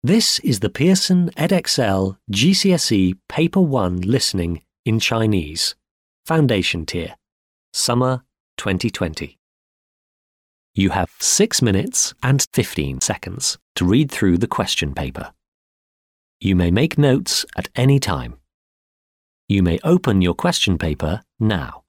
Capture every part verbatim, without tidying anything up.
This is the Pearson Edexcel G C S E Paper one Listening in Chinese, Foundation Tier, Summer twenty twenty. You have six minutes and fifteen seconds to read through the question paper. You may make notes at any time. You may open your question paper now.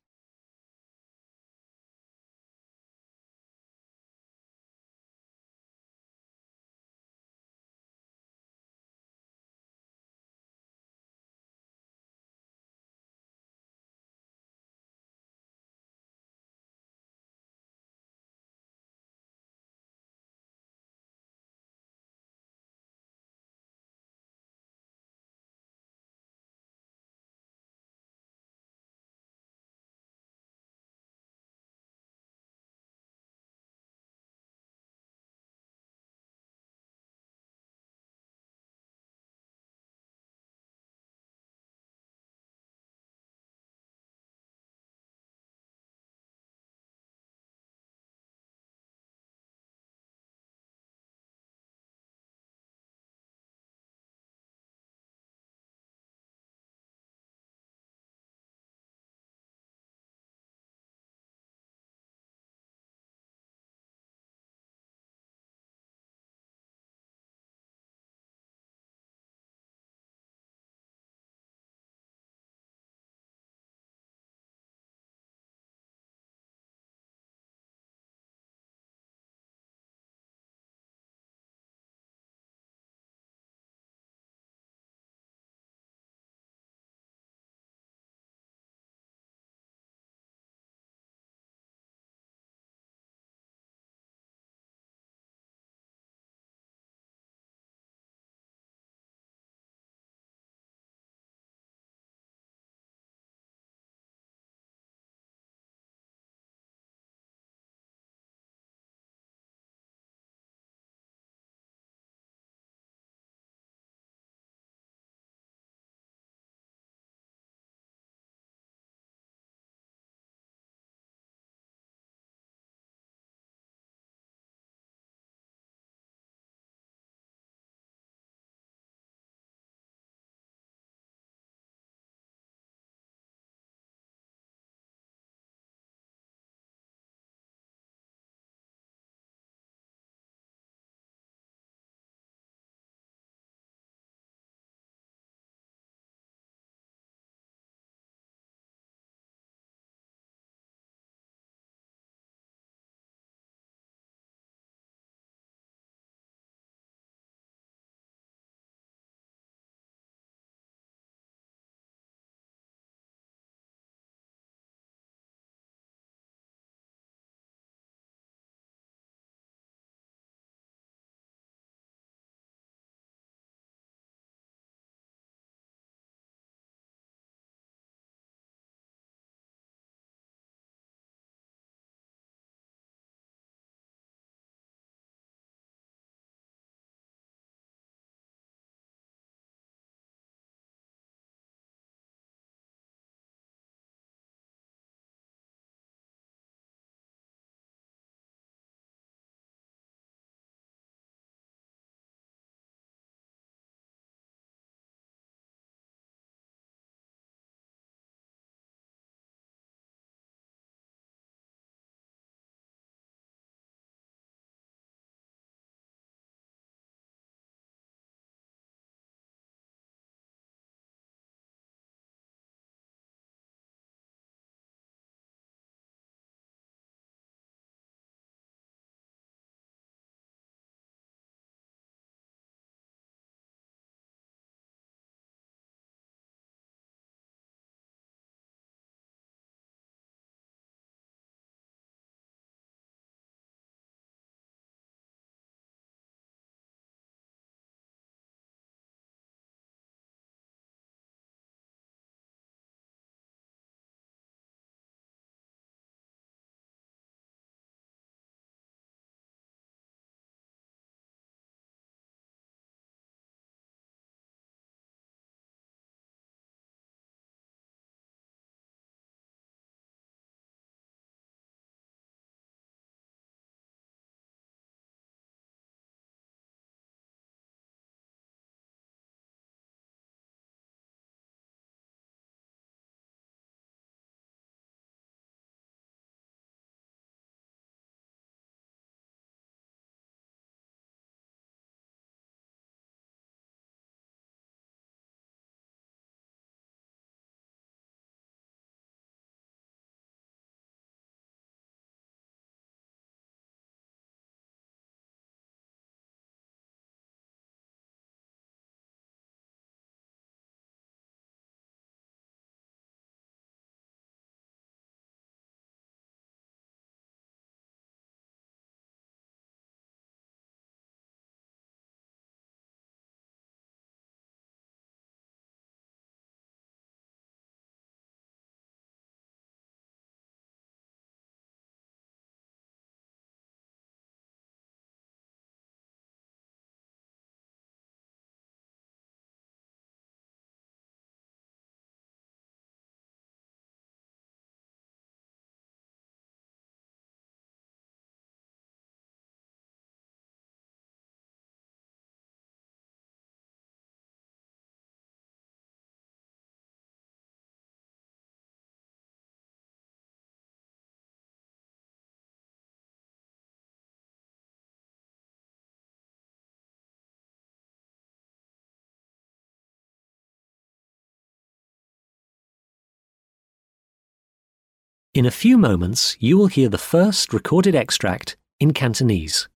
In a few moments, you will hear the first recorded extract in Cantonese.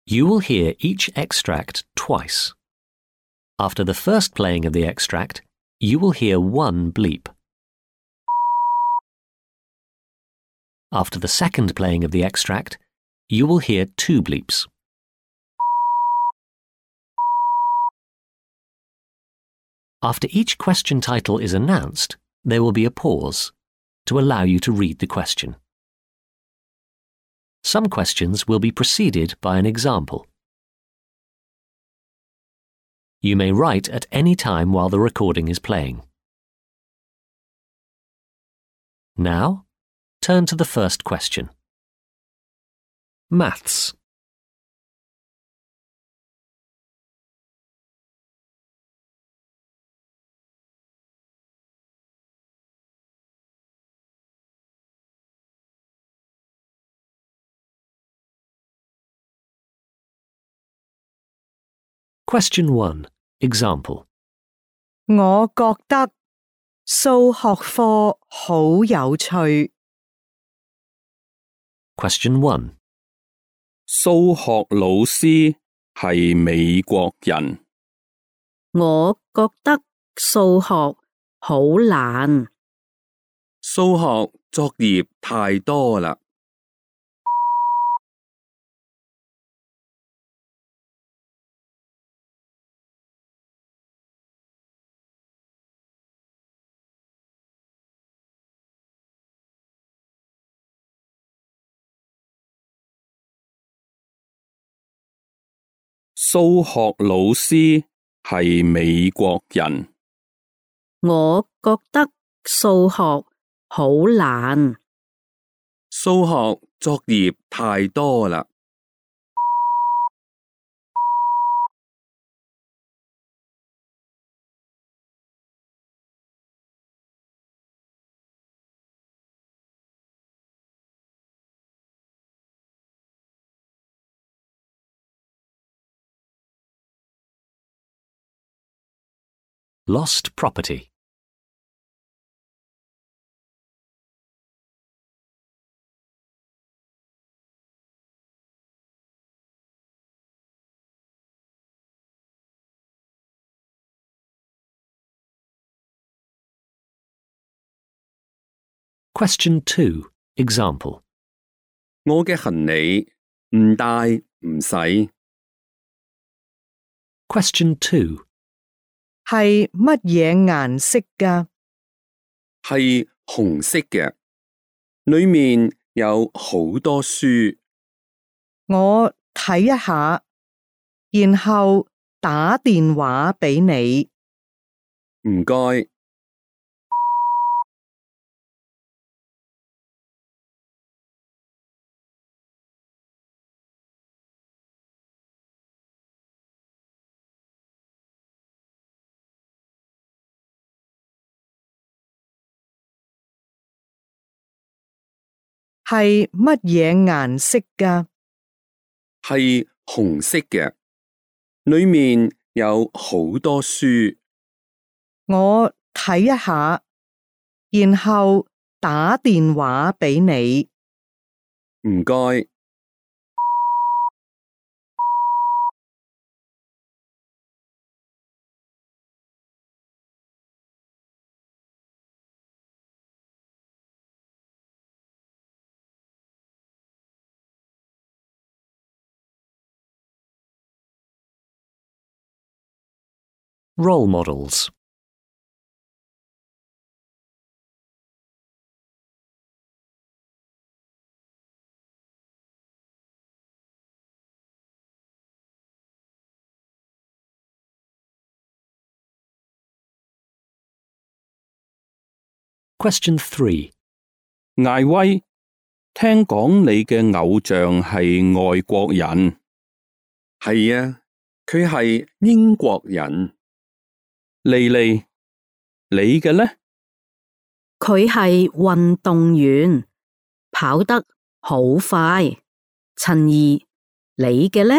You will hear each extract twice. After the first playing of the extract, you will hear one bleep. After the second playing of the extract, you will hear two bleeps. After each question title is announced, there will be a pause to allow you to read the question. Some questions will be preceded by an example. You may write at any time while the recording is playing. Now, turn to the first question. Maths. Question one. Example. 我覺得數學課好有趣。 Question one. 數學老師係美國人。我覺得數學好難。數學作業太多啦。數學老師係美國人。我覺得數學好難。數學作業太多啦。Lost property. Question two. Example. 我嘅行李唔帶唔使。Question two. 係乜嘢顏色㗎？係紅色嘅，裏面有好多書。我睇一下，然後打電話俾你。唔該。係乜嘢顏色㗎？係紅色嘅，裏面有好多書。我睇一下，然後打電話俾你。唔該。Role models. Question three. 艾威，聽講你嘅偶像係外國人。係啊，佢係英國人。莉莉，你嘅呢？佢係運動員，跑得好快。陳怡，你嘅呢？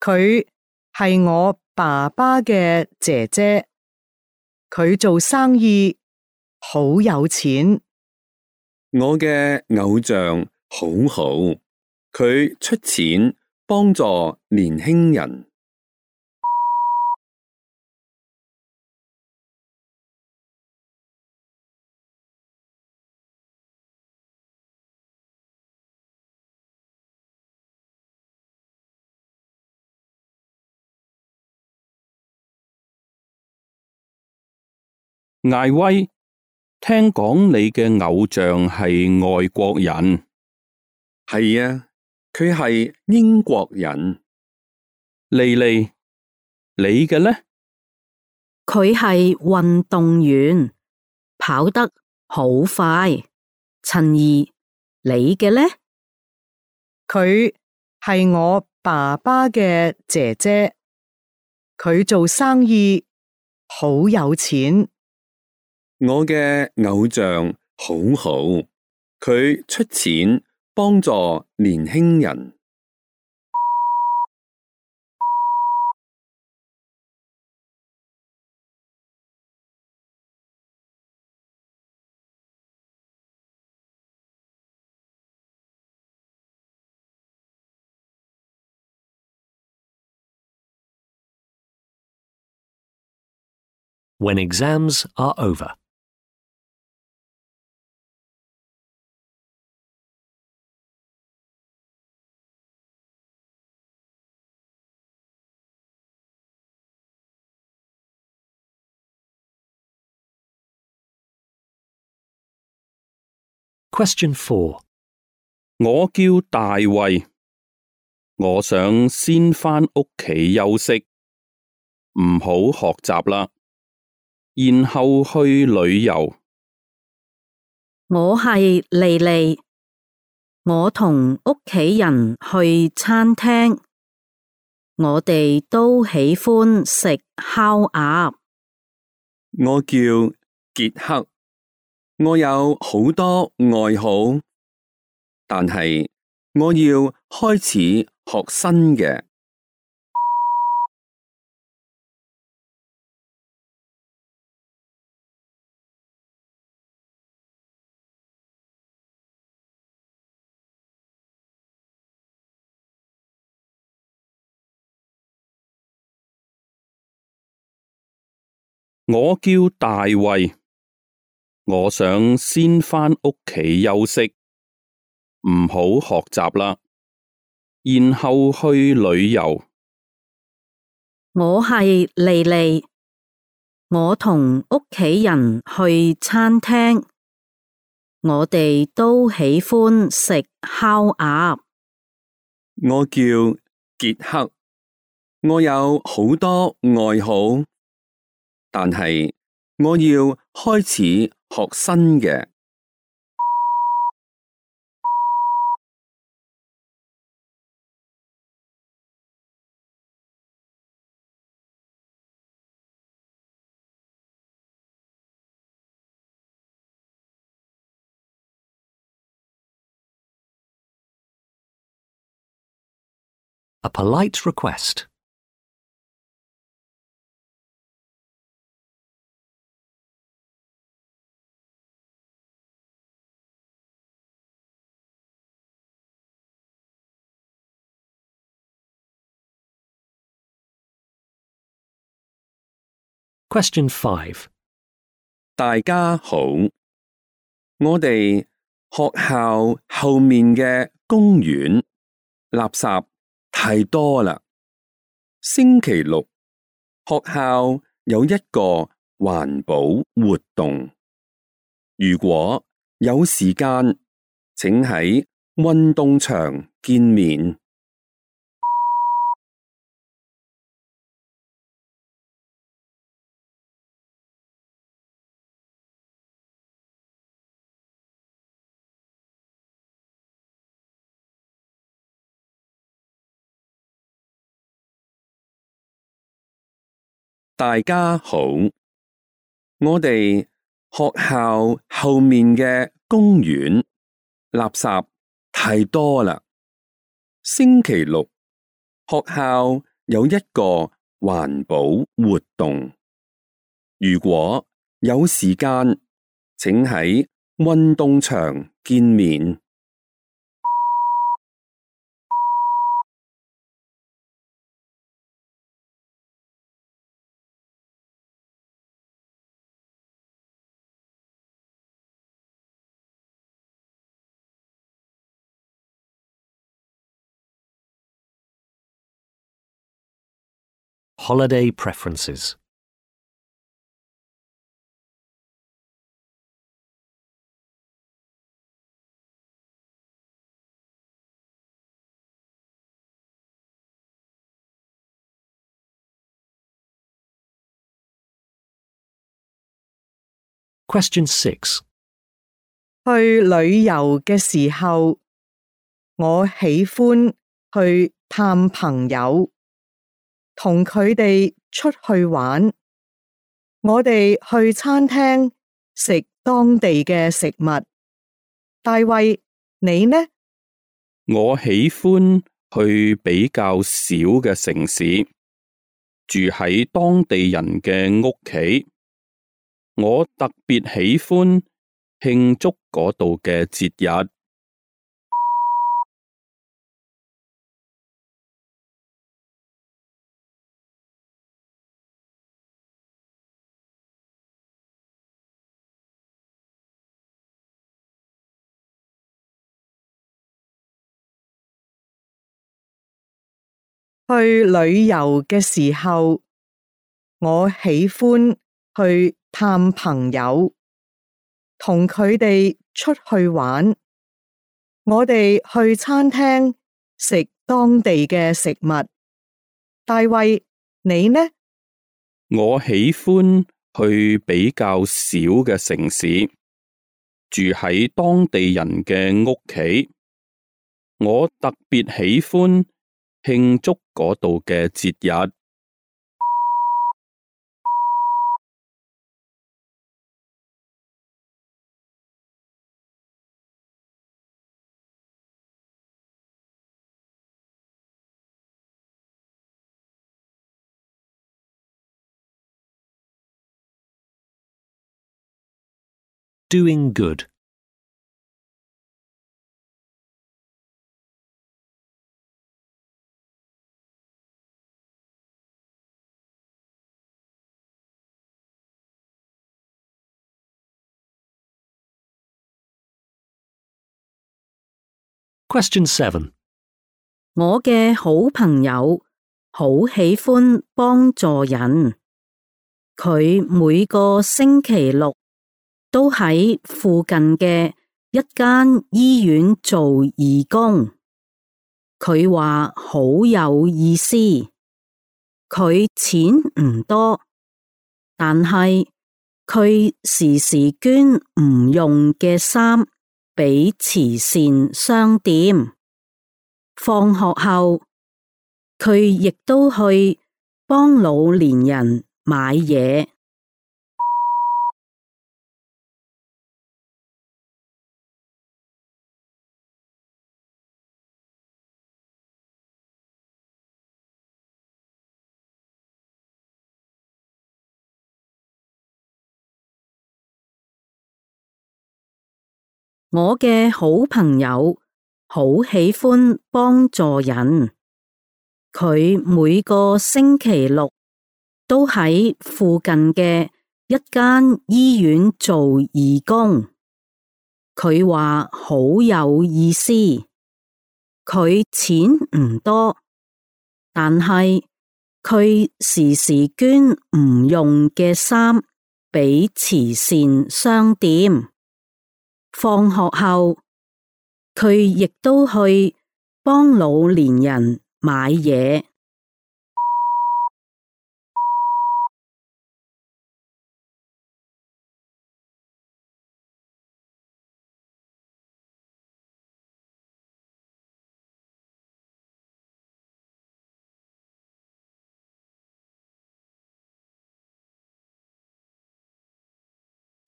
佢係我爸爸嘅姐姐，佢做生意好有錢。我嘅偶像好好，佢出錢幫助年輕人。艾威，聽講你嘅偶像係外國人。係啊，佢係英國人。莉莉，你嘅呢？佢係運動員，跑得好快。陳怡，你嘅呢？佢係我爸爸嘅姐姐，佢做生意好有錢。我嘅偶像好好，佢出錢幫助年輕人。When exams are over. Question four. 我叫大衛，我想先返屋企休息，唔好學習啦，然後去旅遊。我係莉莉，我同屋企人去餐廳，我哋都喜歡食烤鴨。我叫傑克，我有好多愛好，但係我要開始學新嘅。我叫大衛，我想先返屋企休息，唔好學習啦，然後去旅遊。我係莉莉，我同屋企人去餐廳，我哋都喜歡食烤鴨。我叫傑克，我有好多愛好，但係我要開始學新嘅。A polite request. Question five. 大家好，我哋學校後面嘅公園垃圾太多啦。星期六學校有一個環保活動，如果有時間，請喺運動場見面。大家好，我哋學校後面嘅公園垃圾太多啦。星期六學校有一個環保活動，如果有時間，請喺運動場見面。Holiday preferences. Question six. 去旅遊嘅時候，我喜歡去探朋友，同佢哋出去玩。我哋去餐廳食當地嘅食物。大衛，你呢？我喜歡去比較小嘅城市，住喺當地人嘅屋企。我特別喜歡慶祝嗰度嘅節日。去旅遊嘅時候，我喜歡去探朋友，同佢哋出去玩。我哋去餐廳食當地嘅食物。大衛，你呢？我喜歡去比較小嘅城市，住喺當地人嘅屋企。我特別喜歡慶祝嗰度嘅節日。Doing good. Question seven. 我嘅好朋友好喜歡幫助人，佢每個星期六都喺附近嘅一間醫院做義工。佢話好有意思，佢錢唔多，但係佢時時捐唔用嘅衫俾慈善商店。放學後，佢亦都去幫老年人買嘢。我嘅好朋友好喜歡幫助人，佢每個星期六都喺附近嘅一間醫院做義工。佢話好有意思，佢錢唔多，但係佢時時捐唔用嘅衫俾慈善商店。放學後，佢亦都去幫老年人買嘢。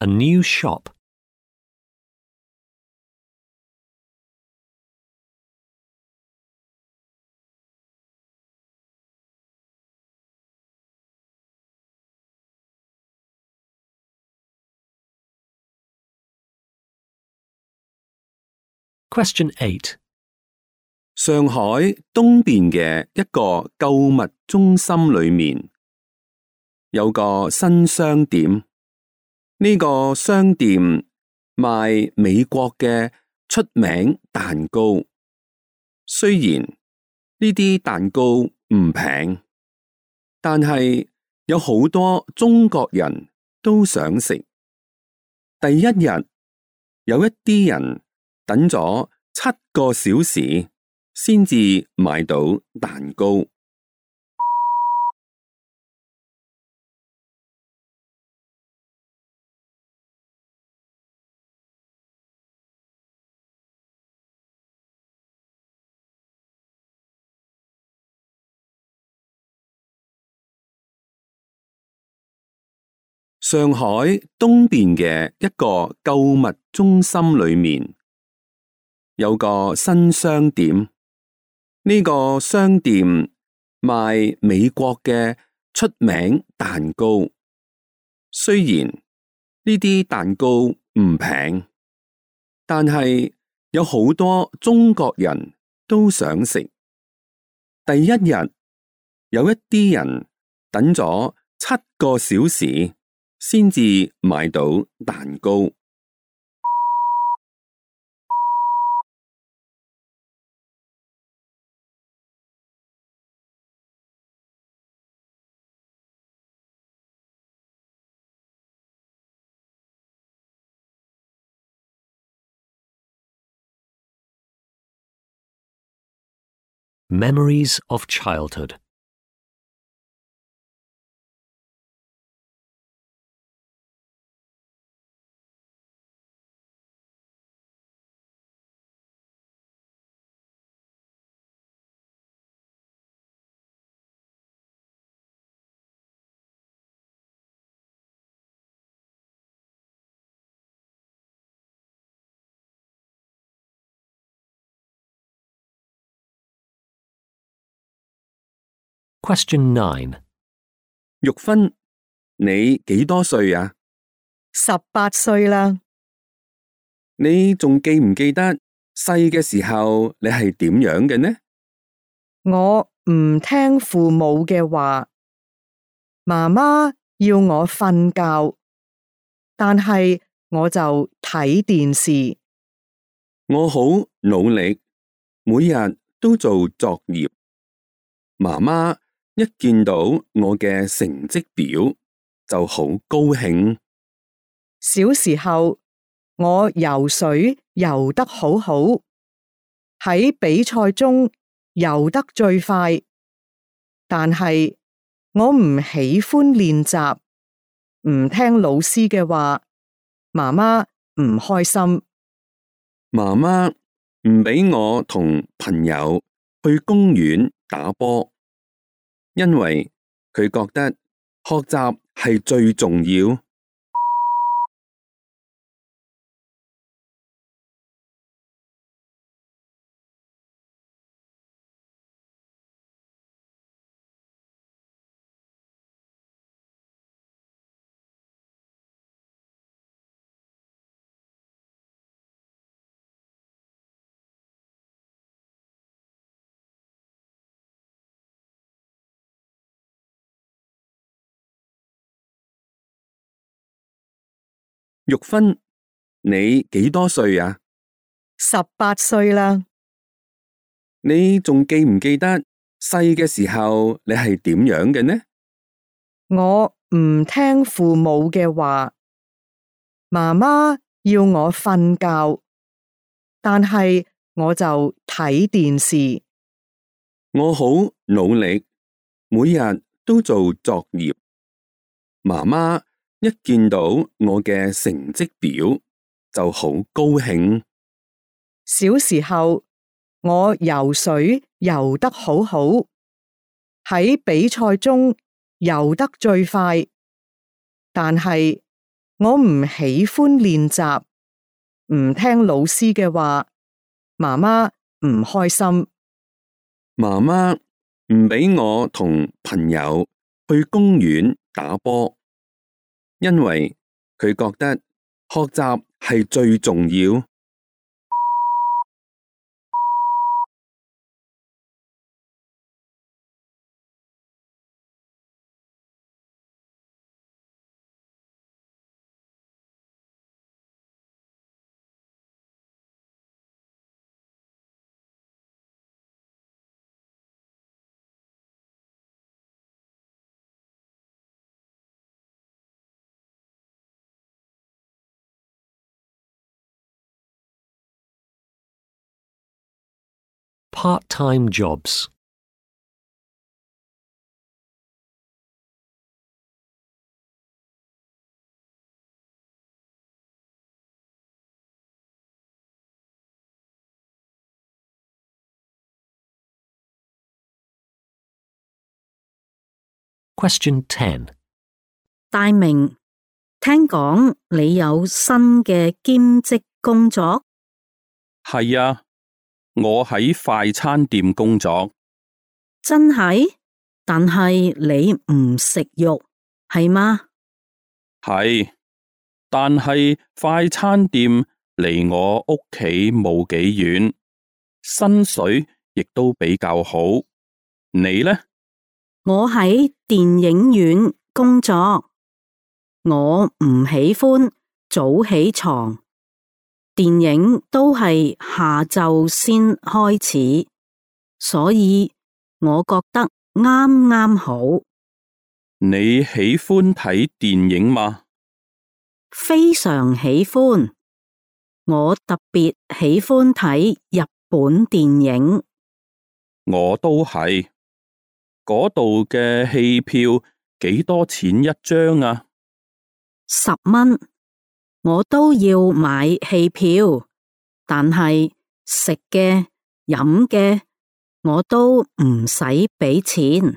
A new shop. Question eight. 上海東邊嘅一個購物中心裏面有個新商店，呢個商店賣美國嘅出名蛋糕。雖然呢啲蛋糕唔平，但係有好多中國人都想食。第一日有一啲人等咗七個小時先至買到蛋糕。上海東邊嘅一個購物中心裏面有個新商店，呢個商店賣美國嘅出名蛋糕。雖然呢啲蛋糕唔平，但係有好多中國人都想食。第一日有一啲人等咗七個小時先至買到蛋糕。Memories of childhood. Question nine. 玉芬，你幾多歲啊？十八歲啦。你仲記唔記得細嘅時候你係點樣嘅呢？我唔聽父母嘅話，媽媽要我瞓覺，但係我就睇電視。我好努力，每日都做作業。媽媽一見到我嘅成績表就好高興。小時候我游水游得好好，喺比賽中游得最快，但係我唔喜歡練習，唔聽老師嘅話，媽媽唔開心。媽媽唔俾我同朋友去公園打波，因為佢覺得學習係最重要。玉芬，你幾多歲啊？十八歲啦。你仲記唔記得細嘅時候你係點樣嘅呢？我唔聽父母嘅話，媽媽要我瞓覺，但係我就睇電視。我好努力，每日都做作業。媽媽一見到我嘅成績表就好高興。小時候我游水游得好好，喺比賽中游得最快，但係我唔喜歡練習，唔聽老師嘅話，媽媽唔開心。媽媽唔俾我同朋友去公園打波，因為佢覺得學習係最重要。part-time jobs. Question ten. 大明，聽講你有新嘅兼職工作？係啊，我喺快餐店工作。真係？但係你唔食肉，係嗎？係，但係快餐店離我屋企冇幾遠，薪水亦都比較好。你呢？我喺電影院工作，我唔喜歡早起床，電影都係下晝先開始，所以我覺得啱啱好。你喜歡睇電影嗎？非常喜歡，我特別喜歡睇日本電影。我都係。嗰度嘅戲票幾多錢一張啊？十蚊，我都要買戲票，但係食嘅、飲嘅，我都唔使俾錢。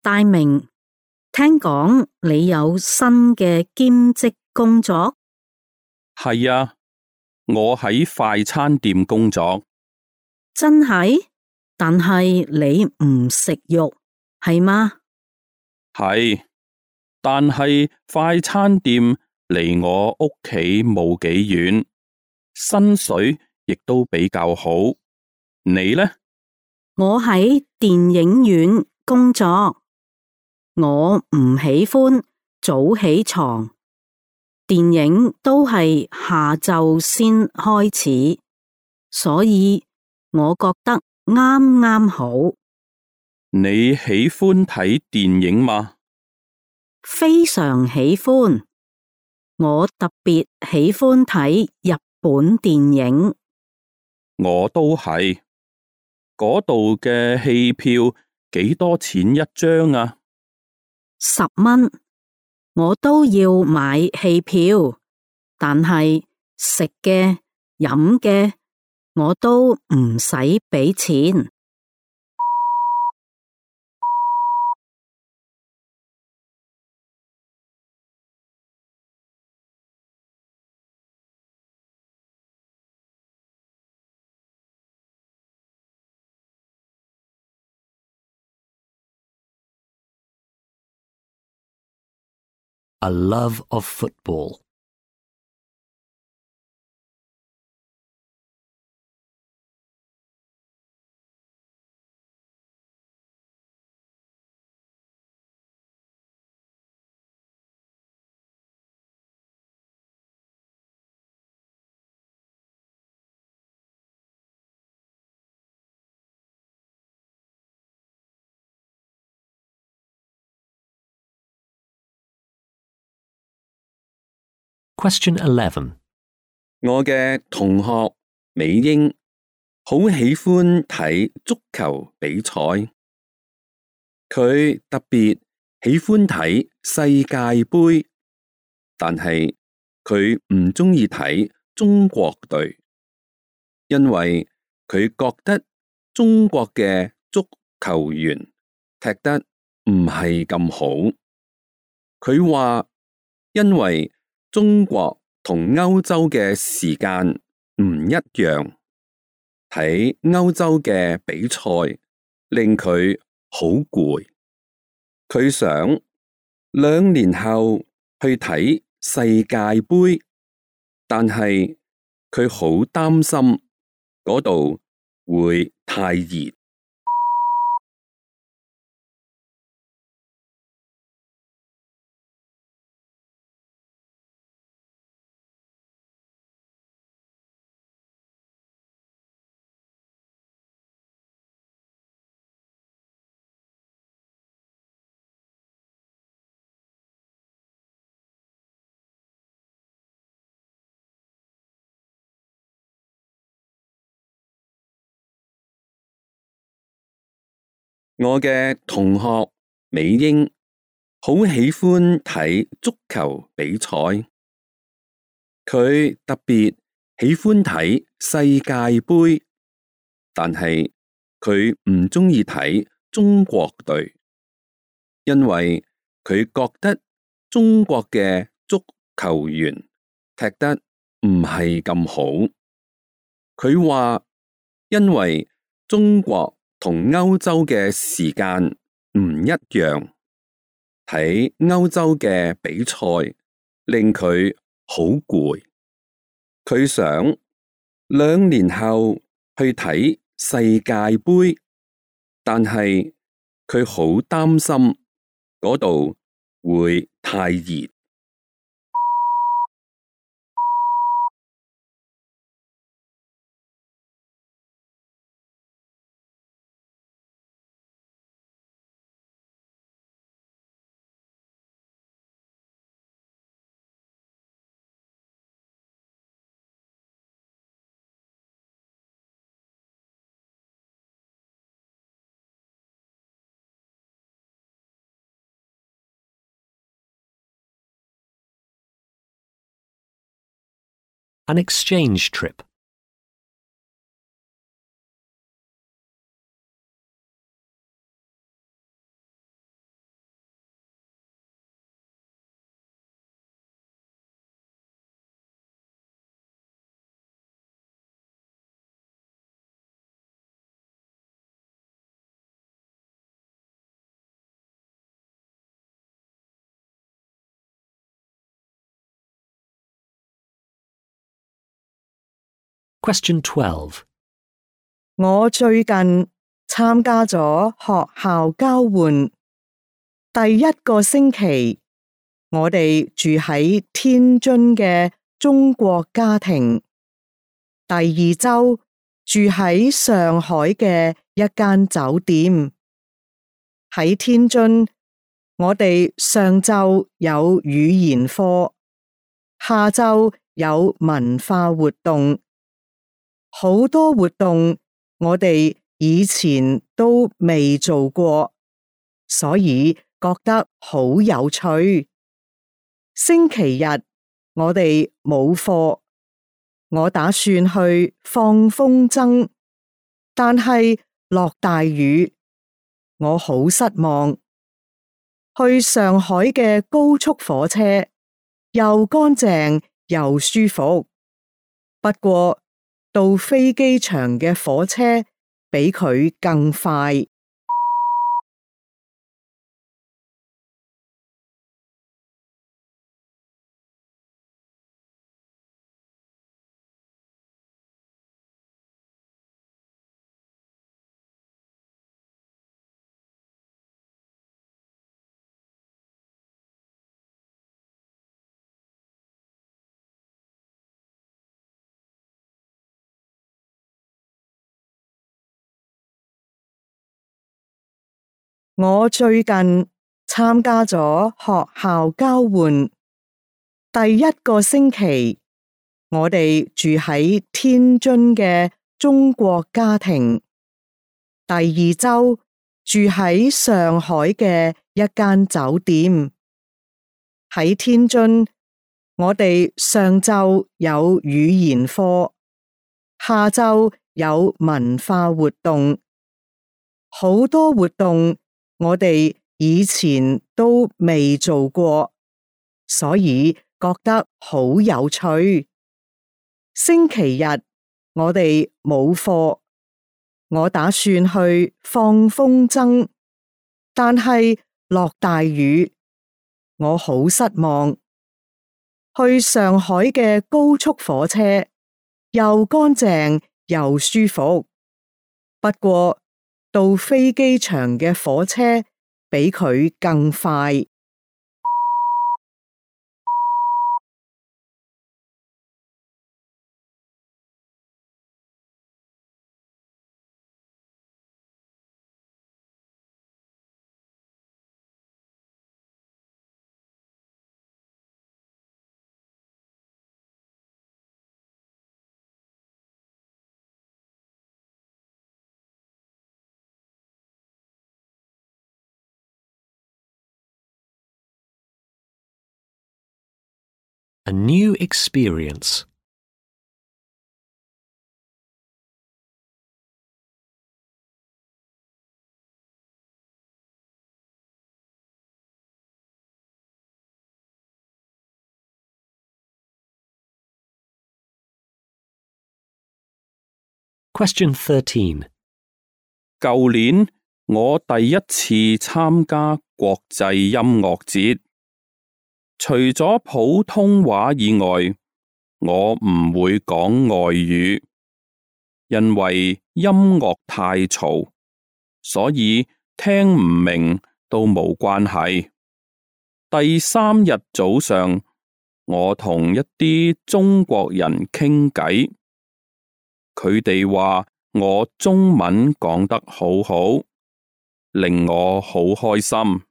大明，聽講你有新嘅兼職工作？係啊，我喺快餐店工作。真係？但係你唔食肉，係嗎？係，但係快餐店離我屋企冇幾遠，薪水亦都比較好。你呢？我喺電影院工作。我唔喜歡早起床，電影都係下晝先開始，所以我覺得啱啱好。你喜歡睇電影嗎？非常喜歡，我特別喜歡睇日本電影。我都係。嗰度嘅戲票幾多錢一張啊？十蚊，我都要買戲票，但係食嘅、飲嘅，我都唔使俾錢。A love of football. Question eleven. 我嘅同學美英好喜歡睇足球比賽，佢特別喜歡睇世界盃，但係佢唔鍾意睇中國隊，因為佢覺得中國嘅足球員踢得唔係咁好。佢話因為中國同歐洲嘅時間唔一樣，睇歐洲嘅比賽令佢好攰。佢想兩年後去睇世界盃，但係佢好擔心嗰度會太熱。我嘅同學美英好喜歡睇足球比賽，佢特別喜歡睇世界盃，但係佢唔鍾意睇中國隊，因為佢覺得中國嘅足球員踢得唔係咁好。佢話因為中國同歐洲嘅時間唔一樣，睇歐洲嘅比賽令佢好攰。佢想兩年後去睇世界盃，但係佢好擔心嗰度會太熱。An exchange trip. Question twelve. 我最近參加咗學校交換，第一個星期，我哋住喺天津嘅中國家庭，第二周住喺上海嘅一間酒店。喺天津，我哋上晝有語言課，下晝有文化活動。好多活動我哋以前都未做過，所以覺得好有趣。星期日我哋冇課，我打算去放風箏，但係落大雨，我好失望。去上海嘅高速火車又乾淨又舒服，不過到飛機場嘅火車比佢更快。我最近參加咗學校交換，第一個星期，我哋住喺天津嘅中國家庭，第二周住喺上海嘅一間酒店。喺天津，我哋上晝有語言課，下晝有文化活動。好多活動我哋以前都未做過，所以覺得好有趣。星期日我哋冇課，我打算去放風箏，但係落大雨，我好失望。去上海嘅高速火車又乾淨又舒服，不過到飛機場嘅火車比佢更快。A new experience. Question thirteen. 舊年我第一次參加國際音樂節，除咗普通話以外，我唔會講外語，因為音樂太嘈，所以聽唔明都冇關係。第三日早上，我同一啲中國人傾偈，佢哋話我中文講得好好，令我好開心。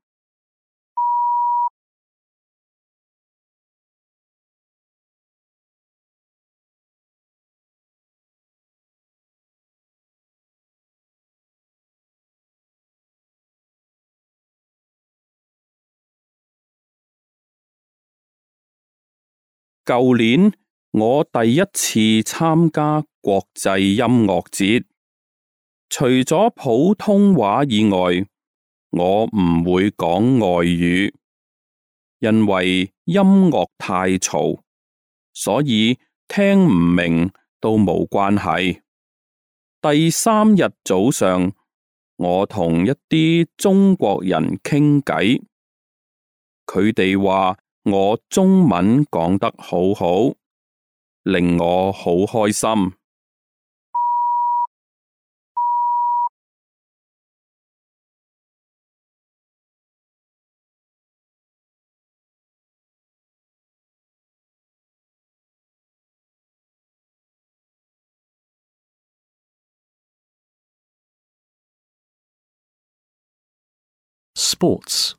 舊年我第一次參加國際音樂節，除咗普通話以外，我唔會講外語，因為音樂太嘈，所以聽唔明都冇關係。第三日早上，我同一啲中國人傾偈，佢哋話我中文講得好好，令我好開心。Sports.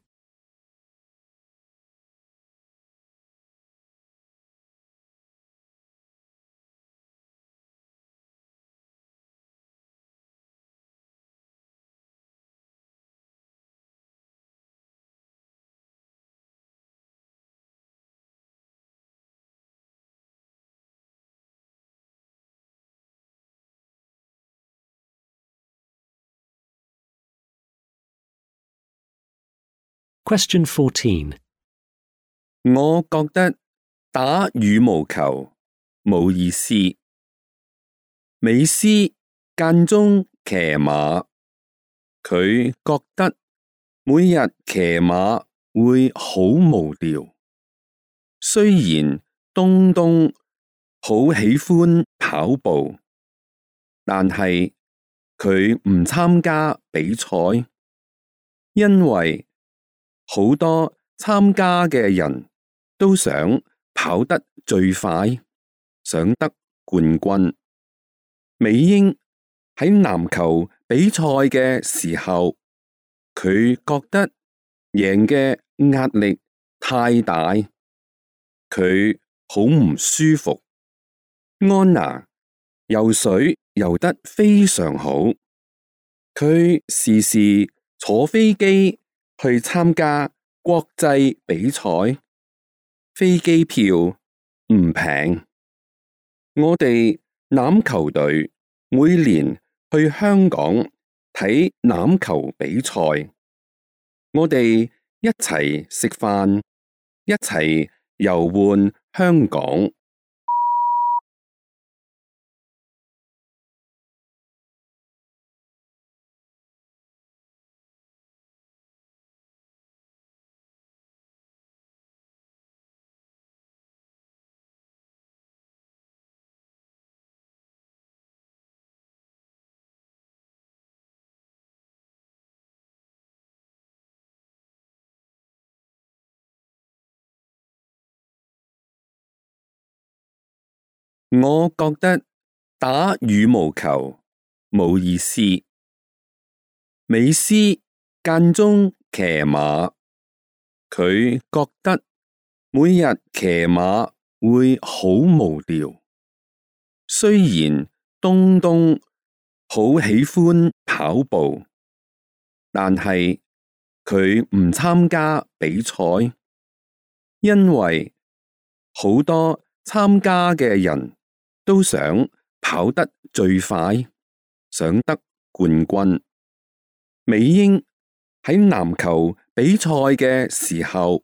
Question fourteen. 我覺得打羽毛球冇意思。美斯間中騎馬，佢覺得每日騎馬會好無聊。雖然東東好喜歡跑步，但係佢唔參加比賽，因為好多參加嘅人都想跑得最快，想得冠軍。美英喺籃球比賽嘅時候，佢覺得贏嘅壓力太大，佢好唔舒服。安娜游水游得非常好，佢時時坐飛機去參加國際比賽，飛機票唔平。我哋欖球隊每年去香港睇欖球比賽，我哋一齊食飯，一齊遊玩香港。我覺得打羽毛球冇意思。美斯間中騎馬，佢覺得每日騎馬會好無聊。雖然東東好喜歡跑步，但係佢唔參加比賽，因為好多參加嘅人都想跑得最快，想得冠軍。美英喺籃球比賽嘅時候，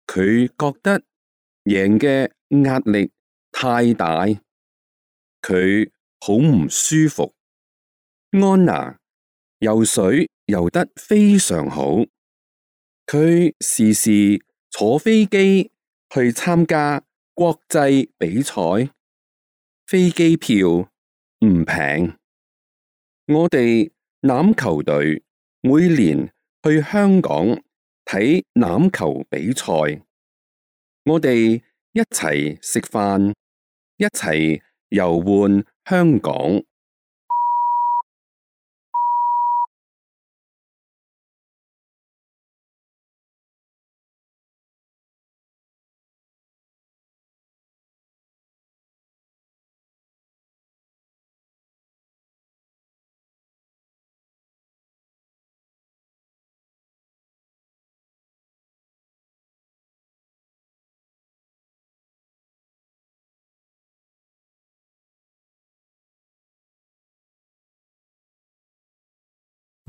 佢覺得贏嘅壓力太大，佢好唔舒服。安娜游水游得非常好，佢時時坐飛機去參加國際比賽，飛機票唔平。我哋欖球隊每年去香港睇欖球比賽，我哋一齊食飯，一齊遊玩香港。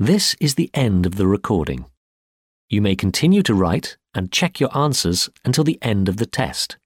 This is the end of the recording. You may continue to write and check your answers until the end of the test.